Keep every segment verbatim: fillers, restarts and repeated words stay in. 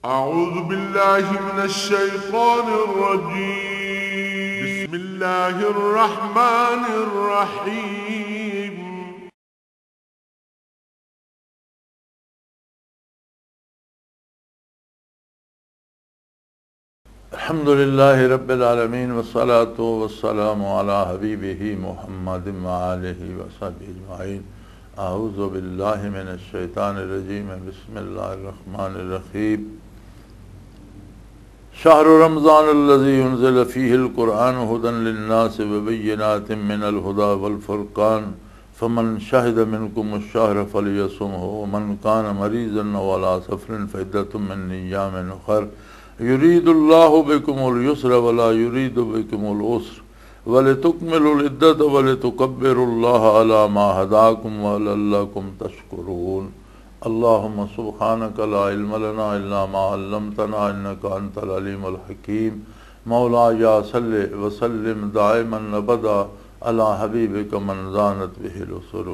أعوذ بالله من الشيطان الرجيم. بسم الله الرحمن الرحيم. الحمد لله رب العالمين، والصلاة والسلام على حبيبه محمد وآله وصحبه أجمعين. أعوذ بالله من الشيطان الرجيم. بسم الله الرحمن الرحيم. شهر رمضان الذي أنزل فيه القرآن هدى للناس وبينات من الهدى والفرقان، فمن شهد منكم الشهر فليصمه، ومن كان مريضا أو على سفر فعدة من أيام أخر، يريد الله بكم اليسر ولا يريد بكم العسر، ولتكملوا العدة ولتكبروا الله على ما هداكم ولعلكم تشكرون. اللهم سبحانك لا علم لنا إلا ما علمتنا إنك أنت العليم الحكيم. مولاي صل وسلم دائما أبدا على حبيبك من زانت به الأسر.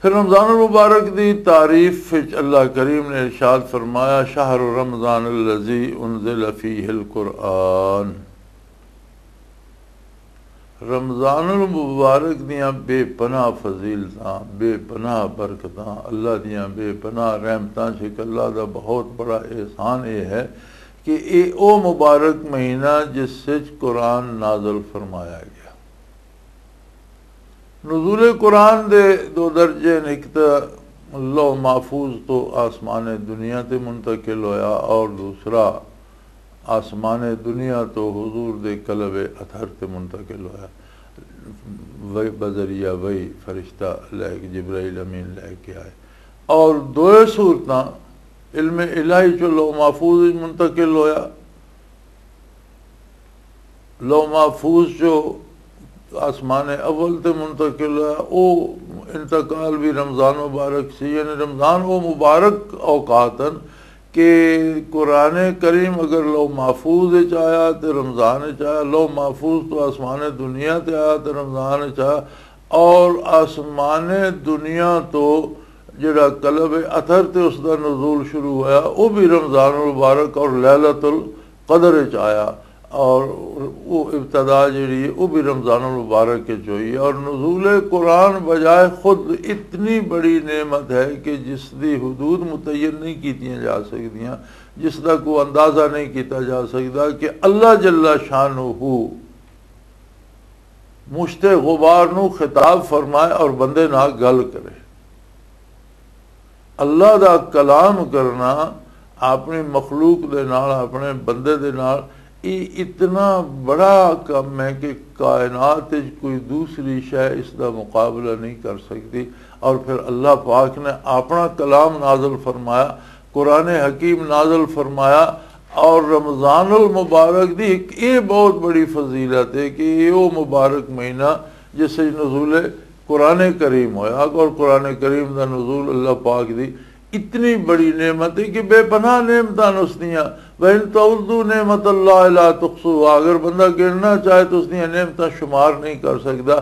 پھر رمضان المبارک دی تعریف وچ اللہ کریم نے ارشاد فرمایا، شہر رمضان الذی انزل فیہ القرآن۔ رمضان المبارک دیاں بے پناہ فضیلتاں، بے پناہ برکتاں، اللہ دیاں بے پناہ رحمتاں، چ اللہ دا بہت بڑا احسان یہ ہے کہ اے او مبارک مہینہ جس وچ قرآن نازل فرمایا گیا۔ نزول قرآن دے دو درجے نے، ایک تو لوح محفوظ تو آسمان دنیا تے منتقل ہویا، اور دوسرا آسمان دنیا تو حضور دے قلب اطہر تے منتقل ہویا، وحی، بذریعہ وحی فرشتہ لے کے، جبرائیل امین لے کے آئے، اور دوئے صورتاں علم الہی چو لوح محفوظ وچ منتقل ہویا۔ لوح محفوظ جو آسمان اول تے منتقل ہے، او انتقال بھی رمضان مبارک سی، یعنی رمضان او مبارک اوقات ہیں کہ قرآن کریم اگر لوح محفوظ وچ آیا تے رمضان وچ آیا، لوح محفوظ تو آسمان دنیا تے آیا تے رمضان وچ آیا، اور آسمان دنیا تو جڑا قلب اطہر تے اس دا نزول شروع ہویا، او بھی رمضان المبارک اور لیلۃ القدر وچ آیا، اور وہ ابتدا جڑی ہے، وہ بھی رمضان المبارک وچ ہوئی ہے۔ اور نزول قرآن بجائے خود اتنی بڑی نعمت ہے کہ جس دی حدود متعین نہیں کیتیاں جا سکدیاں، جس دا کوئی اندازہ نہیں کیتا جا سکدا کہ اللہ جل شانہ مشت غبار نو خطاب فرمائے اور بندے نال گل کرے۔ اللہ دا کلام کرنا اپنی مخلوق دے نال، اپنے بندے دے نال، یہ اتنا بڑا کم ہے کہ کائنات وچ کوئی دوسری شے اس دا مقابلہ نہیں کر سکتی۔ اور پھر اللہ پاک نے اپنا کلام نازل فرمایا، قرآن حکیم نازل فرمایا، اور رمضان المبارک دی ایک یہ بہت بڑی فضیلت ہے کہ یہ وہ مبارک مہینہ جس وچ نزول قرآن کریم ہویا، اور قرآن کریم دا نزول اللہ پاک دی اتنی بڑی نعمت ہے کہ بے پناہ نعمتاں نے اس دیاں۔ وَإِن تَعُدُّوا نِعْمَتَ اللَّهِ لَا تُحْصُوهَا، اگر بندہ گننا چاہے تو اس دیاں نعمتاں شمار نہیں کر سکدا۔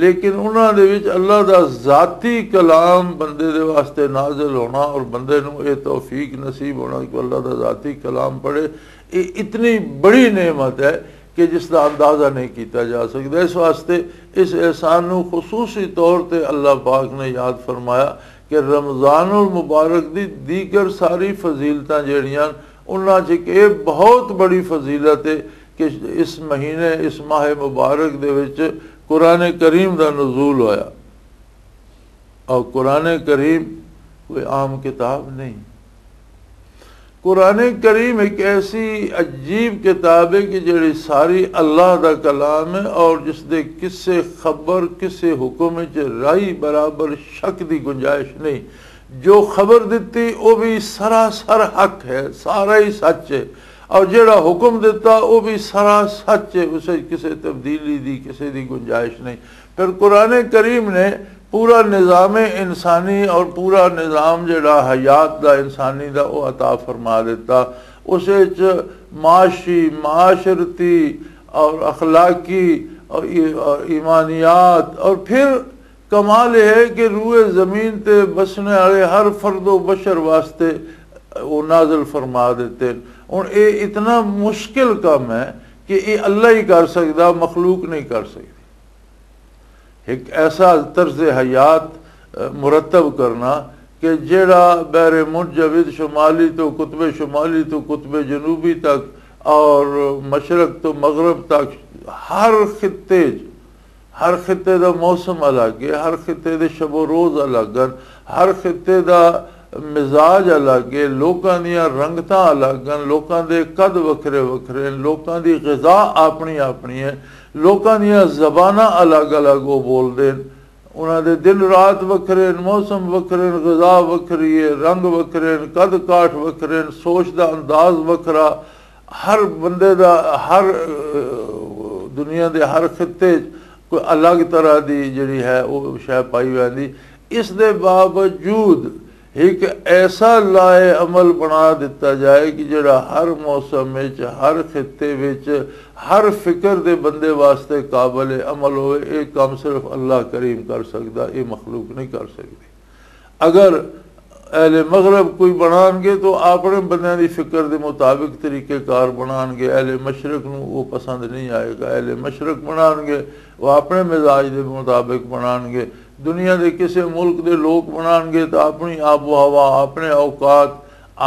لیکن انہاں دے وچ اللہ دا ذاتی کلام بندے دے واسطے نازل ہونا اور بندے نوں اے توفیق نصیب ہونا کہ اللہ دا ذاتی کلام پڑھے، اے اتنی بڑی نعمت ہے کہ جس دا اندازہ نہیں کیتا جا سکدا۔ اس واسطے اس احسان نوں خصوصی طور تے اللہ پاک نے یاد فرمایا کہ رمضان المبارک دی دیگر ساری فضیلتاں جیڑیاں، انہاں چ ایک یہ بہت بڑی فضیلت ہے کہ اس مہینے، اس ماہ مبارک دے وچ قرآن کریم دا نزول ہویا۔ اور قرآن کریم کوئی عام کتاب نہیں۔ قرآن کریم ایک ایسی عجیب کتاب ہے کہ جڑی ساری اللہ دا کلام ہے، اور جس دے کسے خبر، کسے حکم وچ رائی برابر شک دی گنجائش نہیں۔ جو خبر دتی، وہ بھی سراسر حق ہے، سارا ہی سچ ہے، اور جڑا حکم دتا، وہ بھی سرا سچ ہے، اسے کسے تبدیلی دی، کسے دی گنجائش نہیں۔ پھر قرآن کریم نے پورا نظام انسانی اور پورا نظام جڑا حیات دا، انسانی دا، وہ عطا فرما دیتا۔ اس وچ معاشی، معاشرتی اور اخلاقی اور ای-، اور ایمانیات، اور پھر کمال یہ ہے کہ روئے زمین تے بسنے والے ہر فرد و بشر واسطے وہ نازل فرما دیتے۔ ہن یہ اتنا مشکل کام ہے کہ یہ اللہ ہی کر سکتا، مخلوق نہیں کر سکتی۔ ایک ایسا طرز حیات، اہ، مرتب کرنا کہ جیڑا بحر منجمد شمالی تو قطب شمالی تو قطب جنوبی تک اور مشرق تو مغرب تک ہر خطے چ، ہر خطے دا موسم الگ ہے، ہر خطے دے شب و روز الگ ہیں، ہر خطے دا مزاج الگ ہے، لوکاں دیاں رنگتاں الگ ہیں، لوکاں دے قد وکھرے وکھرے ہیں، لوکاں دی غذا اپنی اپنی ہے، لوکاں دیاں زباناں الگ الگ وہ بول دے ہیں، انہاں دے دن رات وکھرے ہیں، موسم وکھرے ہیں، غذا وکھری ہے، رنگ وکھرے ہیں، قد کاٹھ وکھرے ہیں، سوچ دا انداز وکھرا، ہر بندے دا، ہر، اہ، دنیا دے ہر خطے چ کوئی الگ طرح دی جڑی ہے، وہ شے پائی ویندی۔ اس دے باوجود ایک ایسا لائے عمل بنا دتا جائے کہ جڑا ہر موسم وچ، ہر خطے وچ، ہر فکر دے بندے واسطے قابل عمل ہوئے۔ یہ کام صرف اللہ کریم کر سکدا، یہ مخلوق نہیں کر سکدی۔ اگر اہل مغرب کوئی بنان گے تو اپنے بندیاں دی فکر دے مطابق طریقہ کار بنان گے، اہل مشرق نو وہ پسند نہیں آئے گا۔ اہل مشرق بنان گے، وہ اپنے مزاج دے مطابق بنان گے۔ دنیا دے کسے ملک دے لوگ بنان گے تو اپنی آب و ہوا، اپنے اوقات،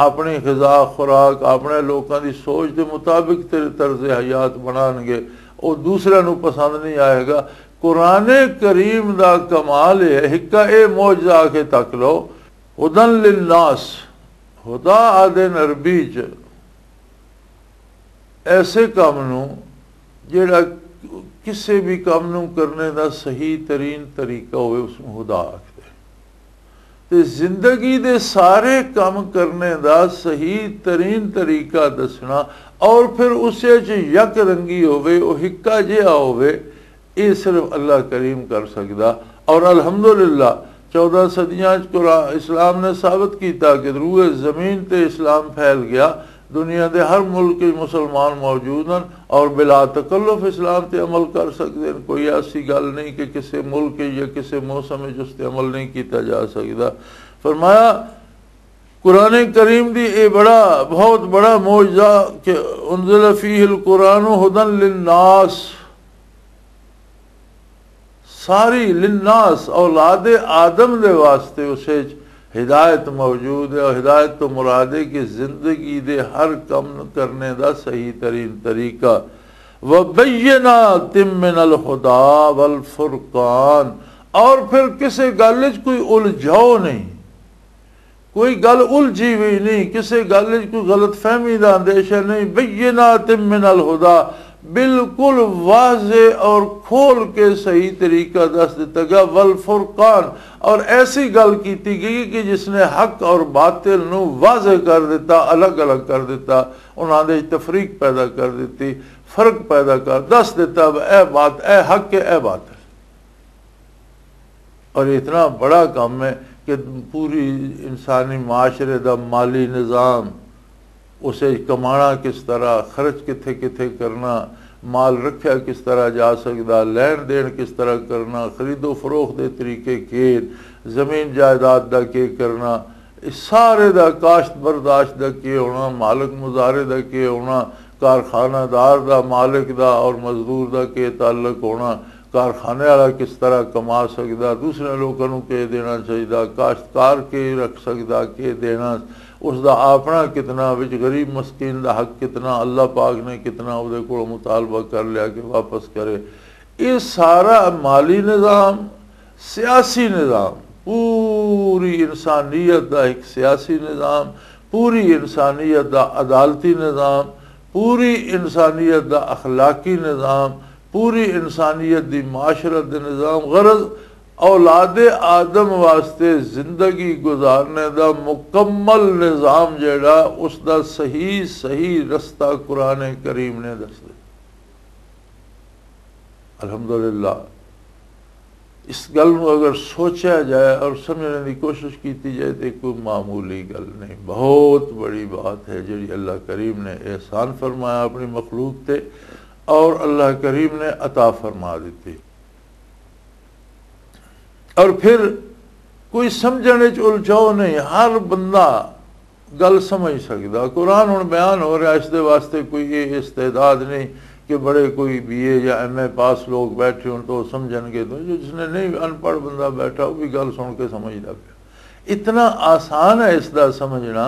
اپنی غذا خوراک، اپنے لوکاں دی سوچ دے مطابق تے طرز حیات بنان گے، وہ دوسرے نو پسند نہیں آئے گا۔ قرآن کریم دا کمال یہ ہے، ہکا اے معجزہ آ کے تک لو، ہدن للناس، ہدا آدن عربی چ ایسے کام نو جڑا کسے بھی کام نو کرنے دا صحیح ترین طریقہ ہوئے، اس نو ہدا آکھدے۔ تے زندگی دے سارے کام کرنے دا صحیح ترین طریقہ دسنا، اور پھر اس وچ یک رنگی ہوئے، او ہکا جہا ہوئے، یہ صرف اللہ کریم کر سکدا۔ اور الحمدللہ، چودہ صدیاں چ قرآن، اسلام نے ثابت کیتا کہ روئے زمین تے اسلام پھیل گیا، دنیا دے ہر ملک وچ مسلمان موجود ہیں اور بلا تکلف اسلام تے عمل کر سکتے ہیں۔ کوئی ایسی گل نہیں کہ کسی ملک یا کسی موسم وچ اس تے عمل نہیں کیتا جا سکتا۔ فرمایا، قرآن کریم دی اے بڑا، بہت بڑا معجزہ کہ انزل فیہ القرآن ہدی للناس، ساری للناس، اولاد آدم دے واسطے اس وچ ہدایت موجود ہے۔ اور ہدایت تو مراد ہے کہ زندگی دے ہر کم کرنے دا صحیح ترین طریقہ۔ وبینات من الہدا والفرقان، اور پھر کسے گل وچ کوئی الجھاؤ نہیں، کوئی گل الجھی ہوئی نہیں، کسے گل وچ کوئی غلط فہمی دا اندیشہ نہیں۔ بینات من الہدا، بالکل واضح اور کھول کے صحیح طریقہ دس دتا گیا۔ والفرقان، اور ایسی گل کیتی گئی کہ جس نے حق اور باطل نو واضح کر دیتا، الگ الگ کر دیتا، انہاں دے تفریق پیدا کر دیتی، فرق پیدا کر دس دیتا، اے بات، اے حق ہے، اے باطل۔ اور اتنا بڑا کام ہے کہ پوری انسانی معاشرے دا مالی نظام، اسے کمانا کس طرح، خرچ کتھے کتھے کرنا، مال رکھیا کس طرح جا سکدا، لین دین کس طرح کرنا، خرید و فروخت دے طریقے کے، زمین جائیداد دا کے کرنا، اس سارے دا کاشت برداشت دا کے ہونا، مالک مزارے دا کے ہونا، کارخانہ دار دا، مالک دا اور مزدور دا کے تعلق ہونا، کارخانے والا کس طرح کما سکدا، دوسرے لوکاں نوں کے دینا چاہیدا، کاشتکار کے رکھ سکدا، کے دینا، اس دا اپنا کتنا، وچ غریب مسکین دا حق کتنا، اللہ پاک نے کتنا او دے کول مطالبہ کر لیا کہ واپس کرے۔ یہ سارا مالی نظام، سیاسی نظام، پوری انسانیت دا ایک سیاسی نظام، پوری انسانیت دا عدالتی نظام، پوری انسانیت دا اخلاقی نظام، پوری انسانیت دی معاشرت دے نظام، غرض اولاد آدم واسطے زندگی گزارنے دا مکمل نظام جیڑا، اس دا صحیح، صحیح رستہ قرآن کریم نے دس دے۔ الحمدللہ، اس گل نو اگر سوچا جائے اور سمجھنے دی کوشش کیتی جائے تو کوئی معمولی گل نہیں، بہت بڑی بات ہے جڑی اللہ کریم نے احسان فرمایا اپنی مخلوق تے اور اللہ کریم نے عطا فرما دیتی۔ اور پھر کوئی سمجھنے چ الجھاؤ نہیں، ہر بندہ گل سمجھ سکدا۔ قرآن ہن بیان ہو رہا، اس دے واسطے کوئی یہ استعداد نہیں کہ بڑے کوئی بی اے یا ایم اے پاس لوگ بیٹھے ہون تو سمجھن گے۔ تو جس نے نہیں، ان پڑھ بندہ بیٹھا، وہ بھی گل سن کے سمجھدا پیا۔ اتنا آسان ہے اس دا سمجھنا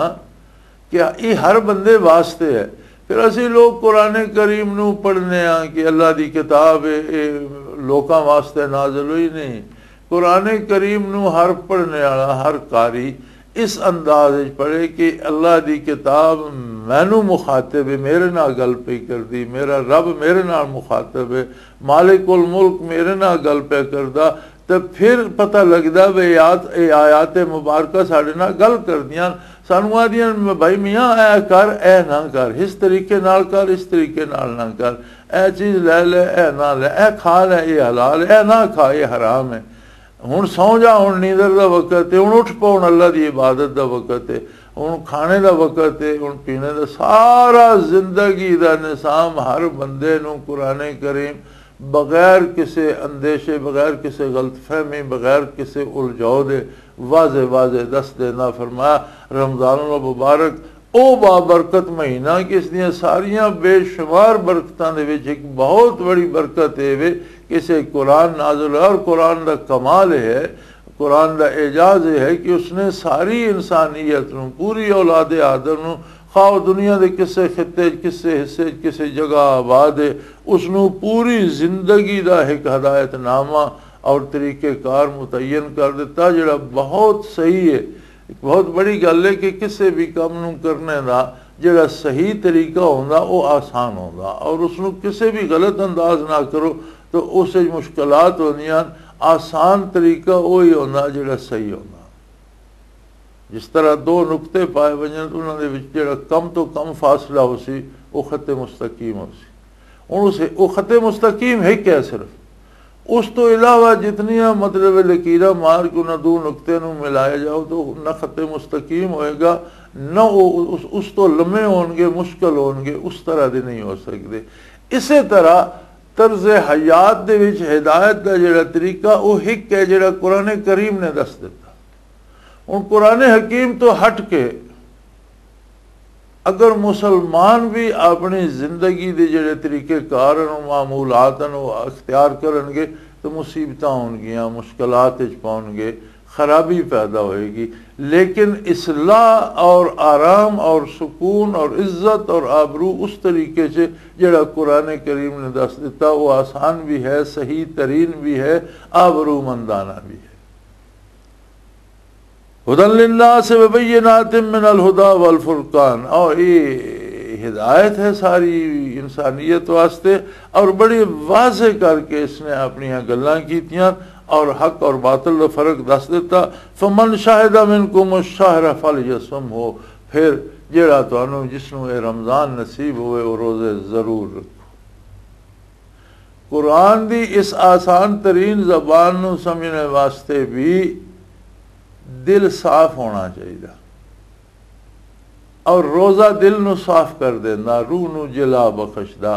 کہ یہ ہر بندے واسطے ہے۔ پھر اسی لوگ قرآن کریم نو پڑھنے ہاں کہ اللہ دی کتاب ہے، یہ لوکاں واسطے نازل ہوئی نہیں۔ قرآن کریم نو ہر پڑھنے والا، ہر قاری اس انداز وچ پڑھے کہ اللہ دی کتاب مینوں مخاطب ہے، میرے نال گل پئی کردی، میرا رب میرے نال مخاطب ہے، مالک الملک میرے نال گل پیا کردا۔ تے پھر پتہ لگدا وے یاد، اے آیات مبارکہ ساڈے نال گل کردیاں، سانوں آدیاں، بھائی میاں، اے کر، اے نہ کر، اس طریقے نال کر، اس طریقے نال نہ کر، اے چیز لے لے، اے نہ لے، اے کھا لے، اے حلال ہے، اے نہ کھا، اے حرام ہے۔ ہن سو جا، ہن نیندر دا وقت ہے، ہن اٹھ پو، ہن اللہ دی عبادت دا وقت ہے، ہن کھانے دا وقت ہے، ہن پینے دا۔ سارا زندگی دا نظام ہر بندے نوں قرآن کریم بغیر کسے اندیشے، بغیر کسے غلط فہمی، بغیر کسے الجھاؤ دے واضح واضح دس دینا۔ فرمایا، رمضان المبارک او بابرکت مہینہ کہ اس دیاں ساریاں بے شمار برکتاں دے وچ ایک بہت بڑی برکت اے وے کہ اسے قرآن نازل ہویا، اور قرآن دا کمال اے ہے، قرآن دا اعجاز اے ہے کہ اس نے ساری انسانیت نوں، پوری اولاد آدم نوں، خواہ او دنیا دے کسے خطے چ، کسے حصے چ، کسے جگہ آباد اے، اس نوں پوری زندگی دا ایک ہدایت نامہ اور طریقہ کار متعین کر دتا، جڑا بہت صحیح ہے۔ ایک بہت بڑی گل ہے کہ کسے بھی کم نوں کرنے دا جڑا صحیح طریقہ ہوندا، او آسان ہوندا، اور اس نوں کسے بھی غلط انداز نہ کرو تو اس وچ مشکلات ہوندیاں۔ آسان طریقہ وہی ہوندا جڑا صحیح ہوندا۔ جس طرح دو نقطے پائے ونجن تو انہاں دے وچ جڑا کم تو کم فاصلہ ہو سی، وہ خط مستقیم ہو سی۔ ہن اسے، وہ خط مستقیم ہے کیا صرف؟ اس تو علاوہ جتنیاں، مطلب، لکیراں مار کے انہاں دو نقطے نوں ملایا جاؤ تو نہ خط مستقیم ہوئے گا، نہ وہ اس، اس تو لمے ہون گے، مشکل ہون گے، اس طرح دے نہیں ہو سکدے۔ اسے طرح طرز حیات دے وچ ہدایت دا جڑا طریقہ، وہ ایک ہے جڑا قرآن کریم نے دس دتا۔ ہن قرآن حکیم تو ہٹ کے اگر مسلمان بھی اپنی زندگی دے جڑے طریقے کار ہن، معمولات ہن، وہ اختیار کرن گے تو مصیبتاں ہون گیاں، مشکلات وچ پون گے، خرابی پیدا ہوئے گی۔ لیکن اصلاح اور آرام اور سکون اور عزت اور آبرو اس طریقے سے جڑا قرآن کریم نے دس دیتا، وہ آسان بھی ہے، صحیح ترین بھی ہے، آبرو مندانہ بھی ہے۔ ہدی للناس وبینات من الہدی والفرقان، اور یہ ہدایت ہے ساری انسانیت واسطے، اور بڑی واضح کر کے اس نے اپنی گلاں کیتیاں اور حق اور باطل دا فرق دس دیتا۔ فمن شہد منکم الشہر فلیصمہ، پھر جیڑا تانوں، جس نوں اے رمضان نصیب ہوئے، وہ روزے ضرور رکھو۔ قرآن دی اس آسان ترین زبان نو سمجھنے واسطے بھی دل صاف ہونا چاہیے، اور روزہ دل نو صاف کر دینا، روح نو جلا بخشدا،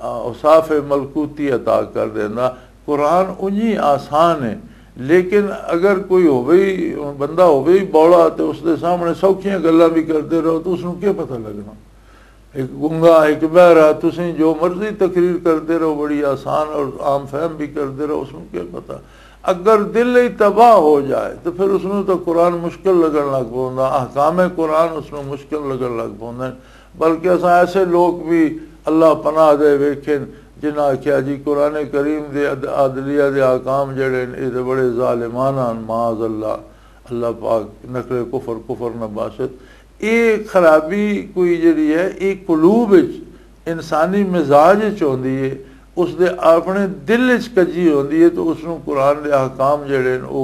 اوصاف ملکوتی عطا کر دینا۔ قرآن اونجی آسان ہے، لیکن اگر کوئی ہووے ہی، بندہ ہووے ہی بولا تے اس دے سامنے سوکھیاں گلاں بھی کردے رہو تو اس نو کیا پتہ لگنا؟ ایک گنگا، ایک بہرا، تسیں جو مرضی تقریر کردے رہو، بڑی آسان اور عام فہم بھی کردے رہو، اس نو کیا پتہ؟ اگر دل ہی تباہ ہو جائے تو پھر اس نو تو قرآن مشکل لگن لگ پوندا، احکام قرآن اس نو مشکل لگن لگ پوندے۔ بلکہ اساں ایسے لوگ بھی اللہ پناہ دے ویکھن جنہاں آکھیا جی قرآن کریم دے عد-، عدلیہ دے احکام جڑے نے، اے تے بڑے ظالمانہ ہن، معاذ اللہ، اللہ پاک نقل کفر کفر نہ باشد۔ یہ خرابی کوئی جڑی ہے، یہ قلوب وچ، انسانی مزاج وچ ہوندی ہے، اس دے اپنے دل وچ کجی ہوندی ہے، تو اس نوں قرآن دے احکام جڑے نے، او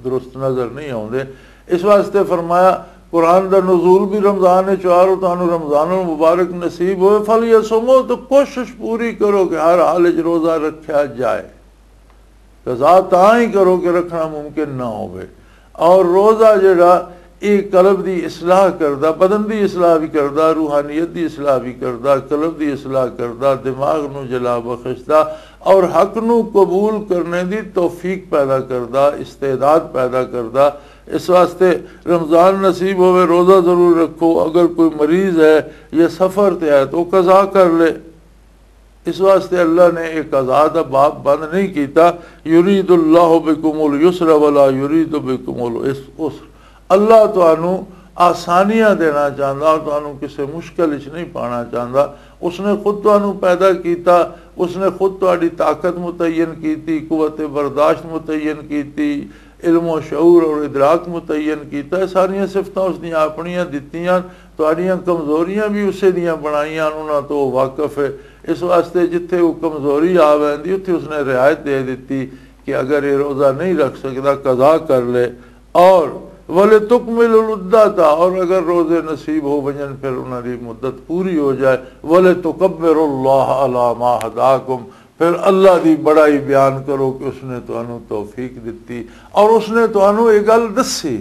درست نظر نہیں آوندے۔ اس واسطے فرمایا، قرآن دا نزول بھی رمضان وچ آ رہو، تانوں رمضان المبارک نصیب ہوئے، فَلْيَصُمْهُ، تو کوشش پوری کرو کہ ہر حال وچ روزہ رکھیا جائے۔ قضا تاں ہی کرو کہ رکھنا ممکن نہ ہوئے۔ اور روزہ جڑا، یہ قلب دی اصلاح کردا، بدن دی اصلاح بھی کردا، روحانیت دی اصلاح بھی کردا، قلب دی اصلاح کردا، دماغ نو جلا بخشدا اور حق نو قبول کرنے دی توفیق پیدا کردا، استعداد پیدا کردا۔ اس واسطے رمضان نصیب ہوئے، روزہ ضرور رکھو۔ اگر کوئی مریض ہے یا سفر تے ہے تو وہ قضا کر لے۔ اس واسطے اللہ نے ایک قضا دا باب بند نہیں کیتا، یرید اللہ بکم الیسر ولا یرید بکم العسر۔ اللہ تانوں آسانیاں دینا چاہندا، تانوں کسے مشکل وچ نہیں پانا چاہندا۔ اس نے خود تانوں پیدا کیتا، اس نے خود تہاڈی طاقت متعین کیتی، قوت برداشت متعین کیتی، علم و شعور اور ادراک متعین کیتا۔ یہ ساریاں صفتاں اس دیاں اپنیاں دتیاں، تہاڈیاں کمزوریاں بھی اسے دیاں بنائیاں، انہاں تو وہ واقف ہے۔ اس واسطے جتھے وہ کمزوری آ ویندی، اتھے اس نے رعایت دے دتی کہ اگر یہ روزہ نہیں رکھ سکدا، قضا کر لے۔ اور وَلِتُكْمِلُوا الْعِدَّةَ، اور اگر روزے نصیب ہو ونجن، پھر انہاں دی مدت پوری ہو جائے۔ وَلِتُكَبِّرُوا اللَّهَ عَلَىٰ مَا هَدَاكُمْ، پھر اللہ دی بڑائی بیان کرو کہ اس نے تانوں توفیق دتی اور اس نے تانوں یہ گل دسی۔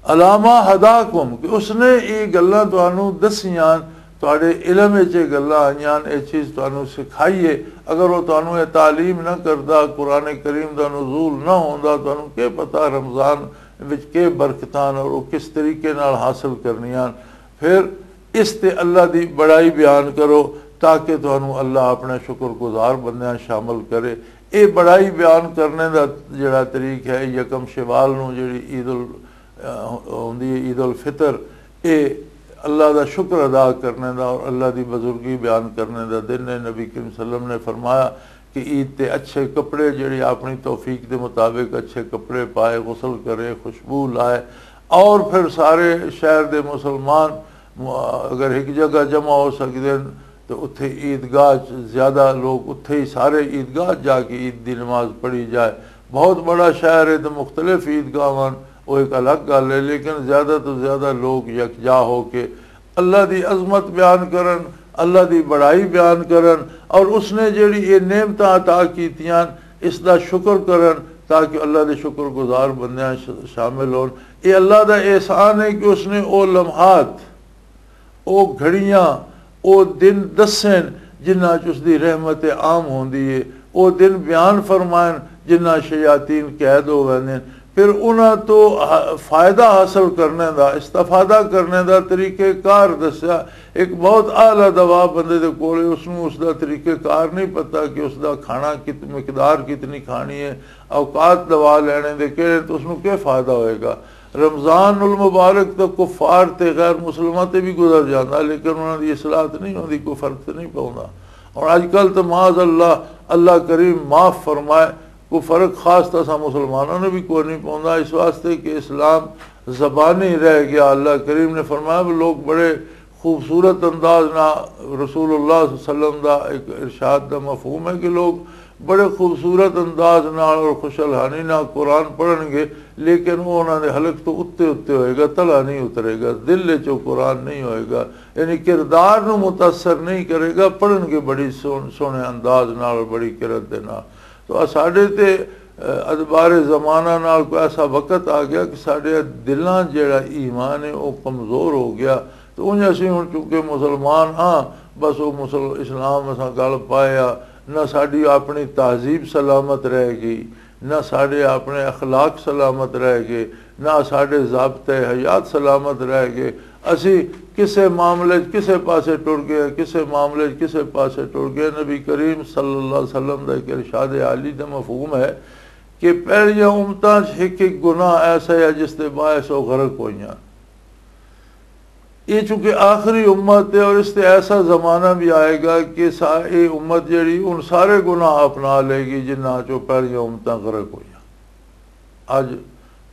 عَلَىٰ مَا هَدَاكُمْ، کہ اس نے یہ گلاں تانوں دسیاں، تہاڈے علم وچ یہ گلاں آئیاں، یہ چیز تانوں سکھائی ہے۔ اگر وہ تانوں یہ تعلیم نہ کردا، قرآن کریم دا نزول نہ ہوندا، تانوں کی پتہ رمضان وچ کی برکتاں اور وہ کس طریقے نال حاصل کرنیاں۔ پھر اس تے اللہ دی بڑائی بیان کرو تاکہ تانوں اللہ اپنے شکر گزار بندیاں شامل کرے۔ یہ بڑائی بیان کرنے دا جڑا طریق ہے، یکم شوال نوں جڑی عید ال-، ہوندی ہے عید الفطر، یہ اللہ دا شکر ادا کرنے دا اور اللہ دی بزرگی بیان کرنے دا دن ہے۔ نبی کریم صلی اللہ علیہ وسلم نے فرمایا کہ عید تے اچھے کپڑے، جڑی اپنی توفیق دے مطابق اچھے کپڑے پائے، غسل کرے، خوشبو لائے، اور پھر سارے شہر دے مسلمان م-، اگر ایک جگہ جمع ہو سکدے ہن تو اتھے عیدگاہ چ زیادہ لوگ، اتھے ہی سارے عیدگاہ جا کے عید دی نماز پڑھی جائے۔ بہت بڑا شہر ہے تو مختلف عیدگاہ ہن، وہ ایک الگ گل ہے، لیکن زیادہ تو زیادہ لوگ یکجا ہو کے اللہ دی عظمت بیان کرن، اللہ دی بڑائی بیان کرن، اور اس نے جڑی یہ نعمتاں عطا کیتیاں، اس دا شکر کرن، تاکہ اللہ دے شکر گزار بندیاں ش-، شامل ہون۔ یہ اللہ دا احسان ہے کہ اس نے او لمحات، او گھڑیاں، او دن دسن جنہاں چ اس دی رحمت عام ہوندی ہے، او دن بیان فرمائن جنہاں شیاطین قید ہو ویندے ہن۔ پھر انہاں تو ح-، فائدہ حاصل کرنے دا، استفادہ کرنے دا طریقہ کار دسیا۔ ایک بہت اعلیٰ دوا بندے دے کول ہے، اس نوں اس دا طریقہ کار نہیں پتا کہ اس دا کھانا کت-، مقدار کتنی کھانی ہے، اوقات دوا لینے دے کہڑے، تو اس نوں کیا فائدہ ہوئے گا؟ رمضان المبارک تو کفار تے غیر مسلماں تے بھی گزر جاندا، لیکن انہاں دی اصلاح تے نہیں ہوندی، کوئی فرق تے نہیں پوندا۔ اور اج کل تو معاذ اللہ، اللہ کریم معاف فرمائے، کوئی فرق خاص تو اساں مسلمانوں نے بھی کوئی نہیں پوندا، اس واسطے کہ اسلام زبانی رہ گیا۔ اللہ کریم نے فرمایا، وہ لوگ بڑے خوبصورت انداز نہ، رسول اللہ صلی اللہ علیہ وسلم دا ایک ارشاد دا مفہوم ہے کہ لوگ بڑے خوبصورت انداز نال اور خوش الحانی نال قرآن پڑھن گے، لیکن وہ انہاں دے حلق تو اتے اتے ہوئے گا، تلا نہیں اترے گا، دل وچ وہ قرآن نہیں ہوئے گا، یعنی کردار نو متاثر نہیں کرے گا، پڑھن گے بڑی سون-، سوہنے انداز نال اور بڑی کرت دے نال۔ تو آ ساڈے تے، اہ، ادبار زمانہ نال کوئی ایسا وقت آ گیا کہ ساڈے دلاں جیڑا ایمان ہے، وہ کمزور ہو گیا۔ تو انج اسی ہن چونکہ مسلمان ہاں، بس وہ مسل-، اسلام اساں گل پایا، نہ ساڈی اپنی تہذیب سلامت رہ گئی، نہ ساڈے اپنے اخلاق سلامت رہ گئے، نہ ساڈے ضابطۂ حیات سلامت رہ گئے۔ اسی کسے معاملے چ کسے پاسے ٹر گئے، کسے معاملے چ کسے پاسے ٹر گئے۔ نبی کریم صلی اللہ علیہ وسلم دا ایک ارشاد عالی دا مفہوم ہے کہ پہلیاں امتاں چ ایک ایک گناہ ایسا ہے جس دے باعث وہ غرق ہوئیاں۔ یہ چونکہ آخری امت ہے اور اس تے ایسا زمانہ بھی آئے گا کہ سا-، یہ امت جڑی ان سارے گناہ اپنا لے گی جنہاں چوں پہلیاں امتاں غرق ہوئیاں۔ اج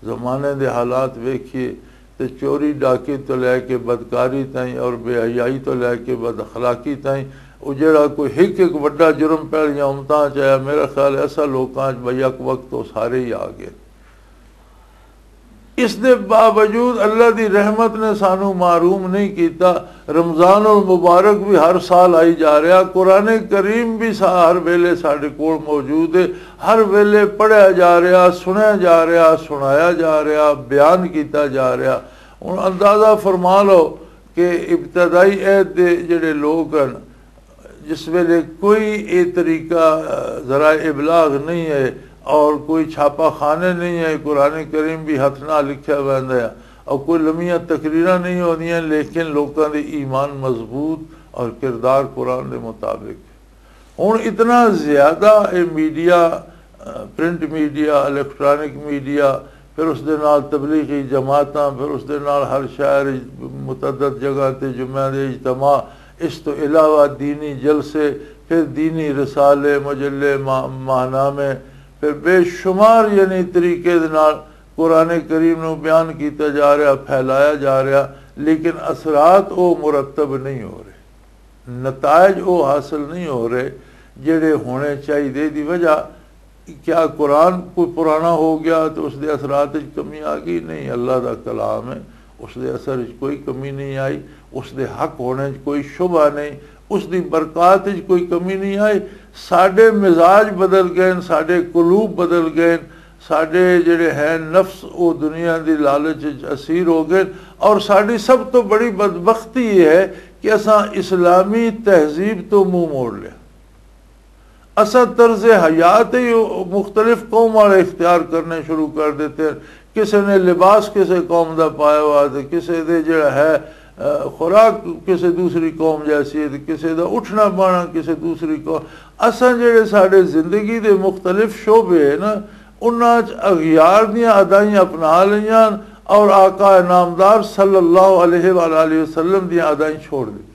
زمانے دے حالات ویکھیے تے چوری ڈاکی تو لے کے بدکاری تائیں اور بے حیائی تو لے کے بد اخلاقی تائیں، وہ جڑا کوئی ایک ایک وڈا جرم پہلیاں امتاں چ آیا، میرا خیال ہے ایسا لوکاں چ بھئی یک وقت وہ سارے ہی آ گئے۔ اس دے باوجود اللہ دی رحمت نے سانو محروم نہیں کیتا۔ رمضان المبارک بھی ہر سال آئی جا رہا، قرآن کریم بھی سا-، ہر ویلے ساڈے کول موجود ہے، ہر ویلے پڑھیا جا رہا، سنیا جا رہا، سنایا جا رہا، بیان کیتا جا رہا۔ ہن اندازہ فرما لو کہ ابتدائی عہد دے جڑے لوگ ہیں، جس ویلے کوئی اے طریقہ، آ، ذرائع ابلاغ نہیں ہے، اور کوئی چھاپا خانے نہیں ہے، قرآن کریم بھی ہتھ نہ لکھیا ویندا ہے، اور کوئی لمیاں تقریراں نہیں ہوندیاں، لیکن لوکاں دے ایمان مضبوط اور کردار قرآن دے مطابق۔ ہن اتنا زیادہ اے میڈیا، پرنٹ میڈیا، الیکٹرانک میڈیا، پھر اس دے نال تبلیغی جماعتاں، پھر اس دے نال ہر شہر وچ متعدد جگہ تے جمعہ دے اجتماع، اس تو علاوہ دینی جلسے، پھر دینی رسالے، مجلے، ماہ-، ماہنامے، پھر بے شمار یعنی طریقے دے نال قرآن کریم نو بیان کیتا جا رہا، پھیلایا جا رہا، لیکن اثرات او مرتب نہیں ہو رہے، نتائج او حاصل نہیں ہو رہے جڑے ہونے چاہیے۔ دی وجہ کیا؟ قرآن کوئی پرانا ہو گیا تو اس دے اثرات وچ کمی آ گئی؟ نہیں، اللہ دا کلام ہے، اس دے اثر وچ کوئی کمی نہیں آئی، اس دے حق ہونے وچ کوئی شبہ نہیں، اس دی برکات وچ کوئی کمی نہیں آئی۔ ساڈے مزاج بدل گئے، ساڈے قلوب بدل گئے، ساڈے جڑے ہیں نفس، او دنیا دی لالچ وچ اسیر ہو گئے۔ اور ساڈی سب تو بڑی بدبختی یہ ہے کہ اساں اسلامی تہذیب تو منہ موڑ لیا۔ اساں طرز حیات ہی مختلف قوم والے اختیار کرنے شروع کر دیتے ہیں۔ کسے نے لباس کسے قوم دا پایا ہوا، تے کسے دے جڑا ہے، آ، خوراک کسے دوسری قوم جیسی ہے، تے کسے دا اٹھنا بانا کسے دوسری قوم۔ اساں جڑے ساڈے زندگی دے مختلف شعبے ہیں نا، انہاں چ اغیار دیاں ادائیاں اپنا لیاں اور آقا نامدار صلی اللہ علیہ وآلہ وسلم دیاں ادائیں چھوڑ دتیاں۔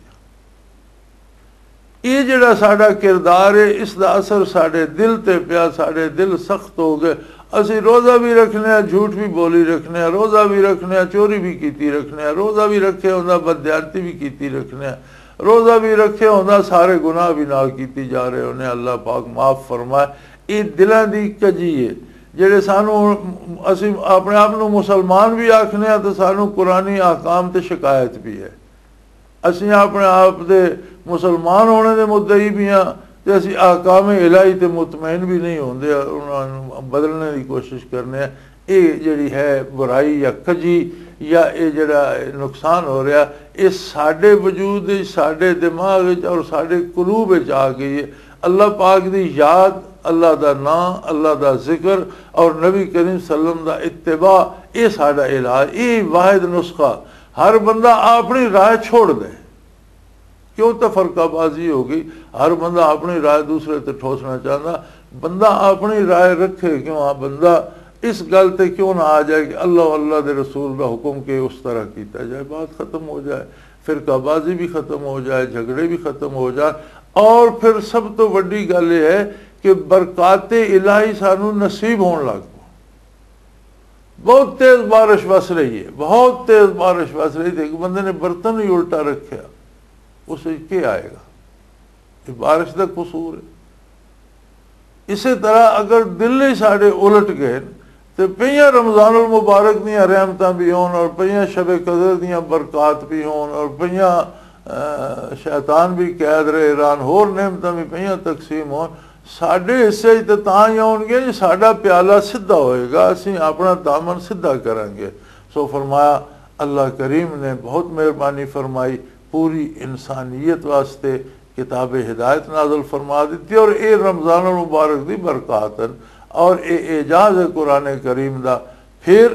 یہ جڑا ساڈا کردار ہے، اس دا اثر ساڈے دل تے پیا، ساڈے دل سخت ہو گئے۔ اسی روزہ بھی رکھنے ہاں، جھوٹ بھی بولی رکھنے ہاں، روزہ بھی رکھنے ہاں، چوری بھی کیتی رکھنے ہاں، روزہ بھی رکھے ہوندا، بدیانتی بھی کیتی رکھنے ہاں، روزہ بھی رکھے ہوندا، سارے گناہ بھی نال کیتی جا رہے ہونے۔ اللہ پاک معاف فرمائے۔ یہ دلاں دی کجی ہے، جڑے سانو، اسی اپنے آپ نو مسلمان بھی آکھنے ہاں تے سانو قرآنی احکام تے شکایت بھی ہے۔ اسیں اپنے آپ دے مسلمان ہونے دے مدعی بھی ہاں، تے اسیں احکام الہی تے مطمئن بھی نہیں ہوندے، انہاں نوں بدلنے دی کوشش کرنے ہاں۔ اے جڑی ہے برائی یا کجی یا اے جڑا نقصان ہو رہا، اے ساڈے وجود وچ، ساڈے دماغ وچ اور ساڈے قلوب وچ آ گئی ہے۔ اللہ پاک دی یاد، اللہ دا نام، اللہ دا ذکر اور نبی کریم صلی اللہ علیہ وسلم دا اتباع، اے ساڈا علاج، اے واحد نسخہ۔ ہر بندہ اپنی رائے چھوڑ دے۔ کیوں تفرقہ بازی ہو گئی؟ ہر بندہ اپنی رائے دوسرے تے ٹھوسنا چاہتا۔ بندہ اپنی رائے رکھے، کیوں آ بندہ اس گل تے کیوں نہ آ جائے کہ اللہ و اللہ دے رسول دا حکم کہ اس طرح کیتا جائے، بات ختم ہو جائے، فرقہ بازی بھی ختم ہو جائے، جھگڑے بھی ختم ہو جائے۔ اور پھر سب تو وڈی گل یہ ہے کہ برکات الہی سانو نصیب ہون لگ پو۔ بہت تیز بارش وس رہی ہے، بہت تیز بارش وس رہی تھی، ایک بندے نے برتن ہی الٹا رکھیا، اس وچ کیا آئے گا؟ یہ بارش دا قصور ہے۔ اسی طرح اگر دل ہی ساڈے الٹ گئے تے پہیاں رمضان المبارک دیاں رحمتاں بھی ہون اور پہیاں شب قدر دیاں برکات بھی ہون اور پہیاں، آ، شیطان بھی قید رہے ران، ہور نعمتاں بھی پہیاں تقسیم ہون، ساڈے حصے وچ تے تاں ہی آؤن گے جے ساڈا پیالہ سدھا ہوئے گا، اسیں اپنا دامن سدھا کریں گے۔ سو فرمایا، اللہ کریم نے بہت مہربانی فرمائی، پوری انسانیت واسطے کتاب ہدایت نازل فرما دیتی اور اے رمضان المبارک دی برکات ہیں اور اے اعجاز ہے قرآن کریم دا۔ پھر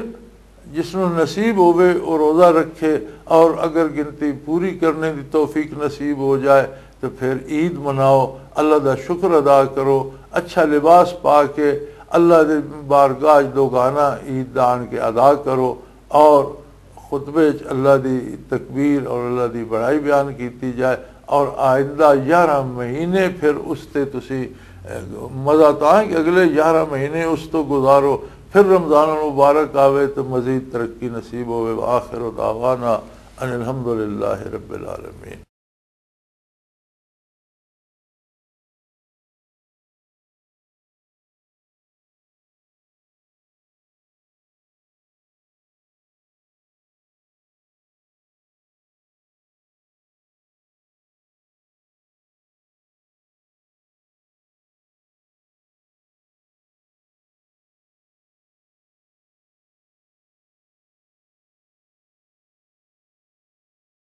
جس نوں نصیب ہووے، او روزہ رکھے، اور اگر گنتی پوری کرنے دی توفیق نصیب ہو جائے، تو پھر عید مناؤ، اللہ دا شکر ادا کرو، اچھا لباس پا کے اللہ دی بارگاہ وچ دوگانا عید دا آن کے ادا کرو، اور خطبے وچ اللہ دی تکبیر اور اللہ دی بڑائی بیان کیتی جائے، اور آئندہ یارہ مہینے پھر اس تے تسی، اے، مزہ تاں ہے کہ اگلے یارہ مہینے اس تو گزارو، پھر رمضان المبارک آوے تو مزید ترقی نصیب ہوے۔ وآخر دعوانا ان الحمدللہ رب العالمین۔